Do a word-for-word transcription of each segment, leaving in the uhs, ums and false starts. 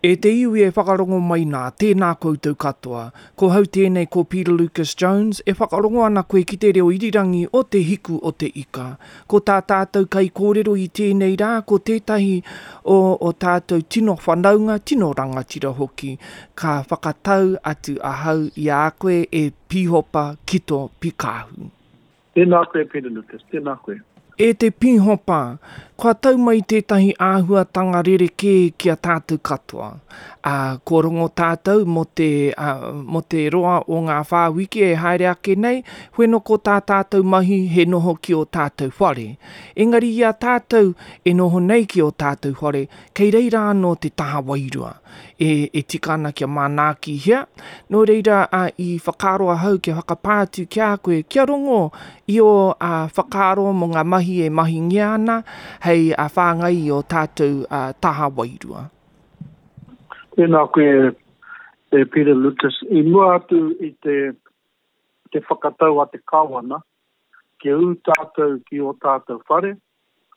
E te iwi e whakarongo mai nā, tēnā koutou katoa. Ko hau tēnei ko Peter Lucas Jones, e whakarongo ana koe ki te reo irirangi o te hiku o te ika. Ko tā tātou kai kōrero i tēnei rā, ko tētahi o, o tātou tino whanaunga, tino rangatira hoki. Ka whakatau atu ahau i a koe e Pihopa Kito Pikahu. Tēnā koe Peter Lucas, tēnā koe. E te Pihopa, kua tau mai tētahi āhuatanga rerekē ki a tātou katoa. Ā, kua rongo tātou mō te, ā, mō te roa o ngā whā wiki e haere ake nei, wheno ko tā tātou mahi he noho ki o tātou whare. Engari i a tātou e noho nei ki o tātou whare, kei reira anō te taha wairua. E, e tika ana kia manaakihia. Nō reira, ā, i whakaaro ahau kia whakapā atu ki a koe, kia rongo i o ā, whakaaro mō ngā mahi e mahingia ana, hei a whāngai i o tātou ā, taha wairua. Tēnā koe e Peter Lucas. I mua atu i te, te whakatau a te kāwana, kia ū tātou ki o tātou whare,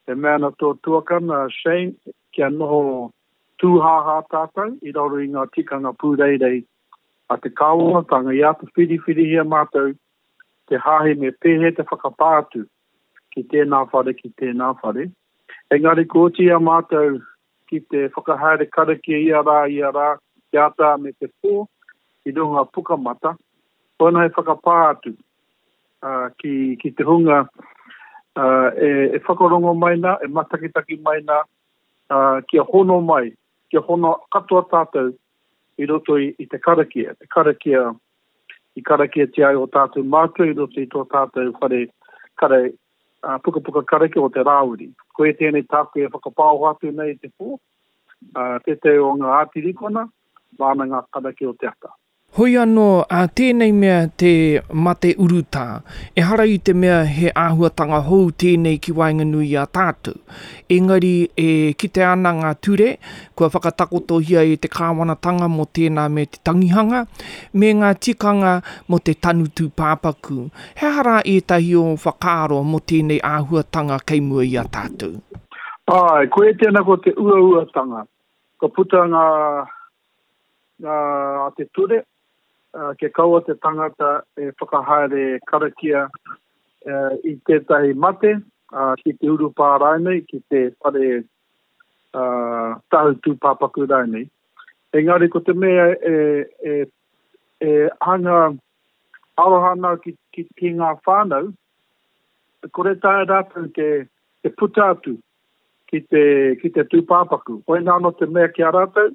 e mea ana tō tuakana Shane, kia noho tūhāhā tātou i raro i ngā tikanga pūreirei a te kāwanatanga i āta whiriwhirihia mātou te hāhi me pēhea te whakapā atu ki tēnā whare, ki tēnā whare. Engari ko oti a mātou ki te whakahaere karakia ia rā, ia rā, te ata me te pō, i runga pukamata, koina he whakapā atu uh, ki, ki te hunga uh, e, e whakarongo mai nā, e matakitaki mai nā, uh, kia hono mai, kia hono katoa tātou i roto i, i te karakia, te karakia i karakiatia ai o tātou mātua i roto i tō tātou whare kare, uh, pukapuka karakia o te Rāwiri. Koe tēnei tāku e whakapāoho atu nei i te pō, uh, tētahi o ngā ātirikona, māna ngā karakia o te ata. Hoi anō, ā, tēnei mea te mate urutā, ehara i te mea he āhuatanga hou tēnei ki waenganui i a tātou. Engari e kite ana ngā ture, kua whakatakotohia e te kāwanatanga mō tēnā me te tangihanga, me ngā tikanga mō te tanu tūpāpaku. He aha rā ētahi o whakaaro mō tēnei āhuatanga kei mua i a tātou? Ai, koe tēnā ko te uauatanga. Ka puta ngā, ngā a te ture, uh, kia kaua te tangata e whakahaere karakia uh, i tētahi mate, uh, ki te urupā rānei, ki te whare uh, tahu tūpāpaku rānei. Engari ko te mea e, e, e hanga aroha ana ki, ki, ki ngā whānau, kore taea rātou te, te puta atu ki te, ki te tūpāpaku. Koina anō te mea ki a rātou,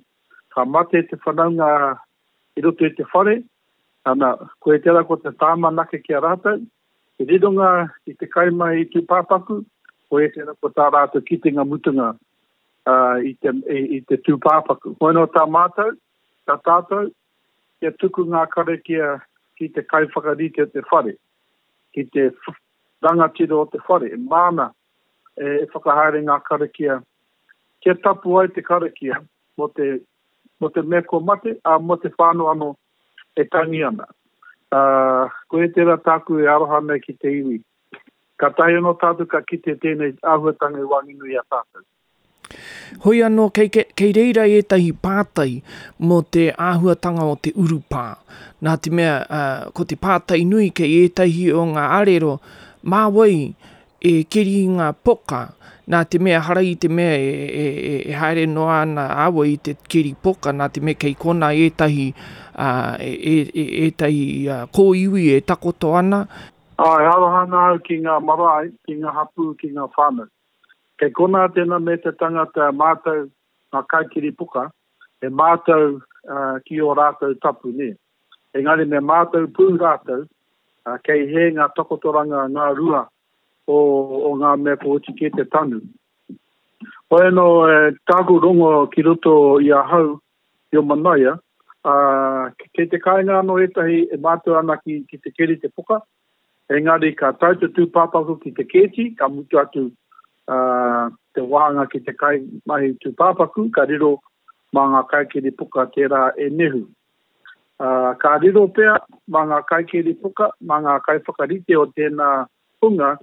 ka mate te whanaunga i roto i te whare, ana, koe tērā ko te tāmanake ki a rātou, te rironga i te kaimahi tūpāpaku, koe tērā ko tā rātou kitenga mutunga uh, i, te, i, i te tūpāpaku. Koina tā mātou, tā tātou, kia tuku ngā karakia ki te kaiwhakarite o te whare, ki te rangatira o te whare, e māna e, e whakahaere ngā karakia, kia tapu ai te karakia mō te mō te mea kua mate, a mō te whānau anō e tangi ana. Uh, koe tērā tāku e aroha nei ki te iwi. Ka tahi anō tātou ka kite tēnei āhuatanga i waenganui i a tātou. Hoi anō, kei, kei, kei reira ētahi pātai mō te āhuatanga o te urupā. Nā te mea, uh, ko te pātai nui kei ētahi o ngā arero, mā wai e keri ngā poka, nā te mea hara i te mea e, e, e, e haere noa ana awa i te keri poka, nā te mea kei kona ētahi, uh, e, e, e, ētahi uh, kōiwi e takoto ana. Ai, aroha ana au ki ngā marae, ki ngā hapū, ki ngā whānau. Kei kona tēnā me te tangata mātou ngā kaikiri poka, e mātou uh, ki o rātou tapu, ne. Engari me mātou pū rātou, uh, kei he ngā takotoranga ngā rua o, o ngā mea ko oti ki te tanu. Hoi anō, e, tāku rongo ki roto i ahau, i o Manaia, uh, kei te kāinga anō ētahi e mātou ana ki, ki te keri te poka, engari ka tau te tūpāpaku ki te kēti, ka mutu atu uh, te wāhanga ki te kai mahi tūpāpaku, ka riro mā ngā kaikiri poka tērā e nehu. Uh, ka riro pea mā ngā kaikiri poka, mā ngā kaiwhakarite o tēnā hunga,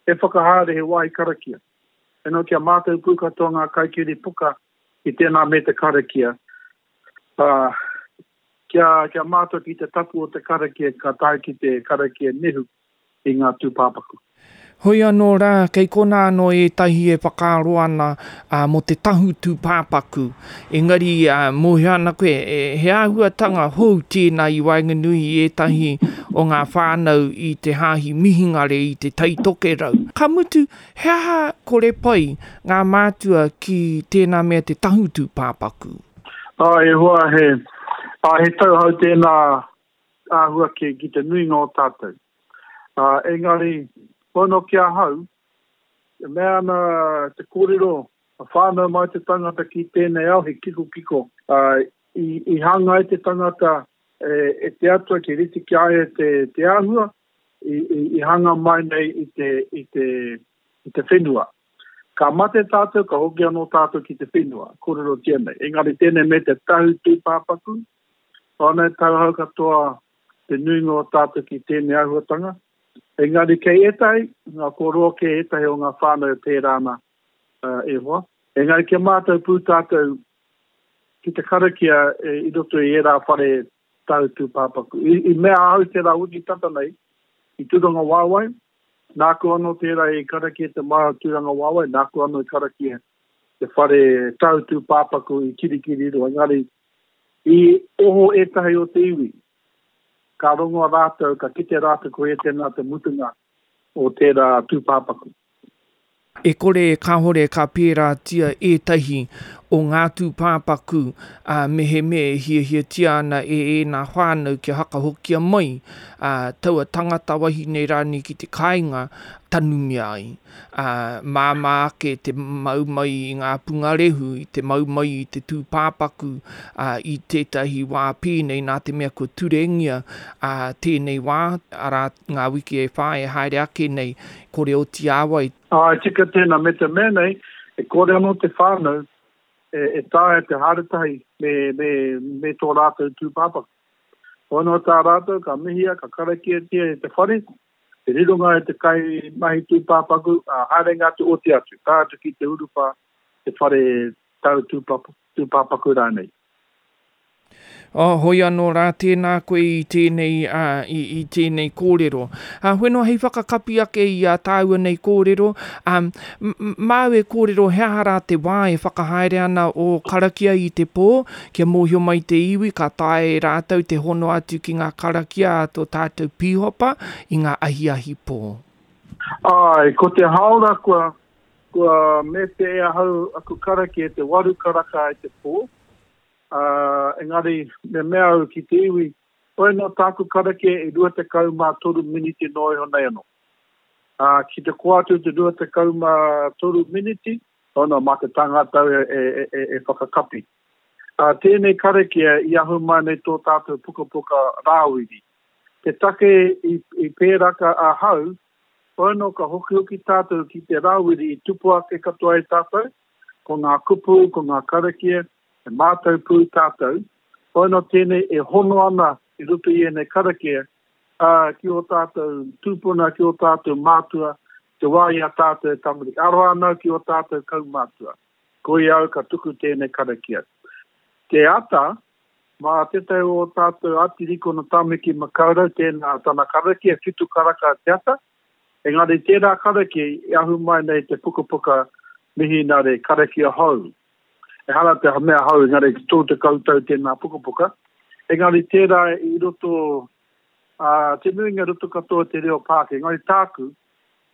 e whakahaere he wāhi karakia. E no kia mātou pū katoa ngā kaikiri poka i tēnā me te karakia, Uh, kia, kia mātou ki te tapu o te karakia, ka tae ki te karakia nehu i ngā tūpāpaku. Hoi anō rā, kei konā anō ētahi e whakaaro ana uh, mō te tahu tūpāpaku. Engari, uh, mōhio ana koe, e, he āhuatanga hou tēnā i waenganui i ētahi o ngā whānau i te hāhi mihingare i te Tai Tokerau. Ka mutu, he aha kore pai ngā mātua ki tēnā mea te tahu tūpāpaku? Ah, e hoa, he, ah, he tauhou tēnā āhua ki, ki te nuinga o tātou. Ah, engari, pono ki ahau, e mea ana te kōrero, a whānau mai te tangata ki tēnei ao, he kiko kiko. Uh, i, i hanga ai te tangata e, e te atua ki rite ki a ia te, te āhua, i, i, i hanga mai nei i te, i te, i te whenua. Ka mate tātou, ka hoki anō tātou ki te whenua, kōrerotia nei. Engari tēnei me te tahu tūpāpaku, āna tauhou katoa te nuinga o tātou ki tēnei āhuatanga. Engari kei ētahi, ngā kōroa kei ētahi o ngā whānau e pērā ana uh, e hoa. Engari kia mātou pū tātou ki te karakia e, i roto i ērā whare tahu tūpāpaku. I, i mea ahau tērā wiki tata nei, i Tūrangawaewae, nāku anō tērā i karakia te marae o Tūrangawaewae, nāku anō i karakia te whare tahu tūpāpaku i Kirikiriroa. Engari, i oho ētahi o te iwi, ka rongo rātou, ka kite rātou ko e tēnā te mutunga o tērā tūpāpaku. E kore e kāhore ka pērātia ētahi o ngā tūpāpaku uh, mehemea e hiahiatia ana e ēnā whānau kia hakahokia mai uh, taua tangata wahine rānei ki te kāinga tanumia ai. Uh, māmā ake te mau mai i ngā pungarehu, i te mau mai i te tūpāpaku uh, i tētahi wā pēnei nā te mea kua turengia uh, tēnei wā, arā ngā wiki e whā e haere ake nei, kore oti āwai. Ai, tika tēnā, me te mea nei, e kore anō te whānau e, e taea te haere tahi me, me, me tō rātou tūpāpaku. Ono tā rātou, ka mihia, ka karakiatia e te whare, te rironga e te kai mahi tūpāpaku, a haerenga atu oti atu, tae atu ki te urupā, te whare tau tūpapa, tūpāpaku rānei. Oh, hoi anō rā, tēnā koe i tēnei, uh, i, i tēnei kōrero. Uh, Whenua hei whakakapi ake i a tāua nei kōrero, um, māu e kōrero he aha rā te wā e whakahaere ana o karakia i te pō, kia mōhio mai te iwi, ka tae rātou te hono atu ki ngā karakia a tō tātou pīhopa i ngā ahiahi pō. Ai, ko te haora kua, kua mete e ahau aku karakia te waru karaka i te pō. Uh, engari, me mea au ki te iwi, oi no tāku karakia e rua tekau mā toru miniti noa iho nei anō. Uh, ki te koa atu te rua tekau mā toru miniti, ono mā te tangata e, e, e, e whakakapi. Uh, tēnei karakia i ahu mai nei tō tātou pukapuka Rāwiri. Te take i, i pēraka ahau, ono ka hokihoki tātou ki te Rāwiri i tupu ake katoa e tātou, ko ngā kupu, ko ngā karakia, e mātou pū tātou, ono tēnei e hono ana i roto i ēnei karakia, uh, ki o tātou tūpuna, ki o tātou mātua, te wā i a tātou e tamariki. Aroha ana ki o tātou kaumātua. Ko i au ka tuku tēnei karakia. Te ata, mā tētahi o tātou atirikona Tāmaki Makaurau, tēnā tana karakia, whitu karaka te ata, engari tērā karakia i ahu mai nei te pukapuka mihinare karakia hou. Ehara te mea hou, engari tō te koutou tēnā pukapuka. Engari tērā i roto, uh, te nuinga roto katoa te reo Pākehā. Engari tāku,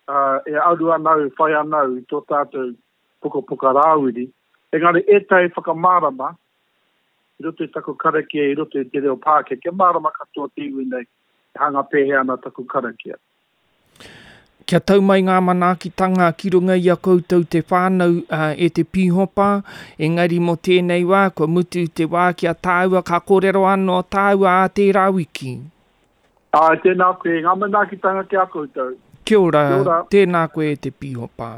uh, e aru ana au, whai ana au i tō tātou pukapuka Rāwiri. Engari ētahi whakamārama, i roto i taku karakia, i roto i te reo Pākehā, kia mārama katoa te iwi nei, e hanga pēhea ana taku karakia. Kia tau mai ngā manaakitanga ki runga i a koutou te whānau uh, e te pīhopa, engari mō tēnei wā, kua mutu te wā ki a tāua, ka kōrero anō tāua a tērā wiki. Ai, tēnā koe, ngā manaakitanga ki a koutou. Kia ora, Kia ora. Tēnā koe e te pīhopa.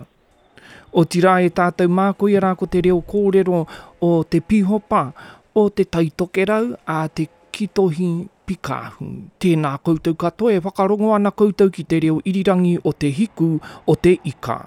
Otirā e tātou mā, koia rā ko te reo kōrero o te pīhopa, o te Tai Tokerau, a te Kitohi Pikāhu. Tēnā koutou katoa e whakarongo ana koutou ki te reo irirangi o te hiku o te ika.